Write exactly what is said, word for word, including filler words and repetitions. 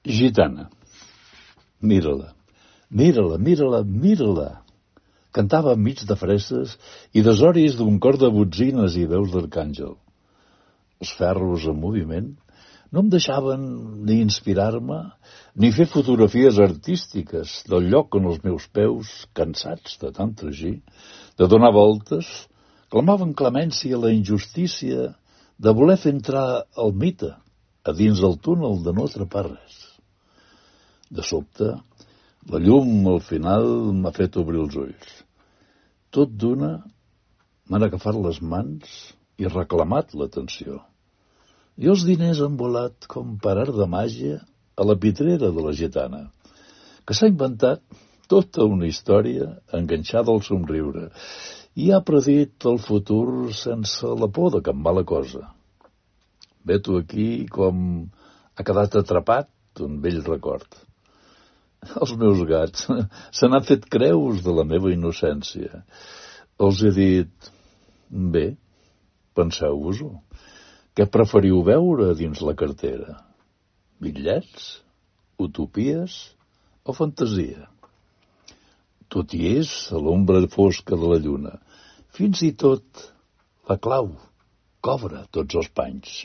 Gitana. Mira-la, mira-la, mira-la, mira-la. Cantava enmig de fresses i desoris d'un cor de botzines i veus d'arcàngel. Els ferros en moviment no em deixaven ni inspirar-me ni fer fotografies artístiques del lloc on els meus peus, cansats de tant tragir, de donar voltes, clamaven clemència a la injustícia de voler fer entrar el mite a dins del túnel de no atrapar res. De sobte, la llum al final m'ha fet obrir els ulls. Tot d'una m'han agafat les mans i reclamat l'atenció. I els diners han volat com per art de màgia a la pitrera de la gitana, que s'ha inventat tota una història enganxada al somriure i ha predit el futur sense la por de cap mala cosa. Veto aquí com ha quedat atrapat un vell record. Els meus gats se n'han fet creus de la meva innocència. Els he dit, bé, penseu-vos-ho. Què preferiu veure dins la cartera? Bitllets? Utopies? O fantasia? Tot hi és a l'ombra fosca de la lluna. Fins i tot la clau cobra tots els panys.